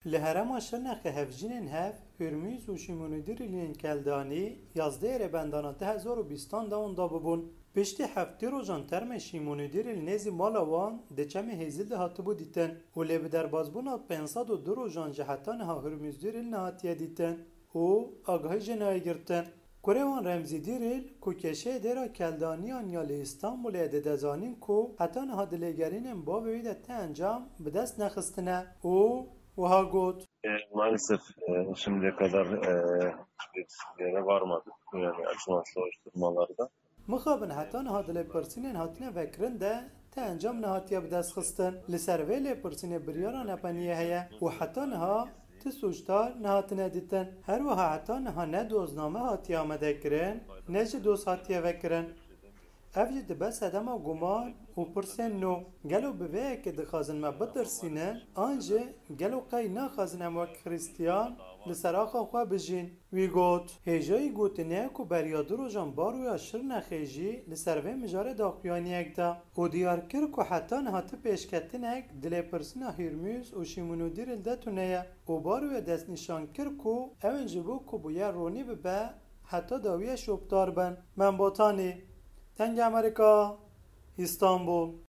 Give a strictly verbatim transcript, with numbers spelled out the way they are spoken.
Li herêma Şirnexê hevjînên hev, Hurmûz û Şîmonûdîrîl yên Keldanî, yazdehê Rêbendana du hezar û bîstan de wenda bibûn. Piştî heftê rojan termê Şîmonûdîrîl nêzî mala wan di çemê Hêzîl de hatibû dîtin û lê bi derbasbûna pênc sed û du rojan jî heta niha Hurmûzdîrîl nehatiye dîtin û agahî jê nayê girtin. Kurê wan Remzî Dîrîl ku kêşeyê dêra Keldaniyan ya li Îstanbulê ye dide zanîn ku heta niha di lêgerînên bavê wî de ti encam bi dest nexistine û wiha got. E, maalesef, e, şimdiye kadar, e, bir yere varmadık. Yani açılan soruşturmalarda. Mixabin heta niha di lêpirsînên hatine vekirin de ti encam nehatiye bi dest xistin. Li ser vê lêpirsînê biryara nepeniyê heye û heta niha ti sûcdar nehatine dîtin. Her wiha heta niha ne dozname hatiye amadekirin, ne jî doz hatiye vekirin. Ev jî dibe sedema guman û pirsên nû. Gelo bi vê yekê dixwazin me bitirsînin, an jî gelo qey naxwazin em wek Xristiyan li ser axa xwe bijîn? Wî got, hêjayî gotinê ye ku beriya du rojan Baroya Şirnexê jî li ser vê mijarê daxuyaniyek da û diyar kir ku heta niha ti pêşketinek di lêpirsîna Hîrmûz û Şîmûnûdîrîl de tune ye û Baroya destnîşan kir ku ew ên ji bo ku bûyer ronî bibe, heta dawiyê şopdar bin. Membotanî, Dengê Amerîka, Îstanbul.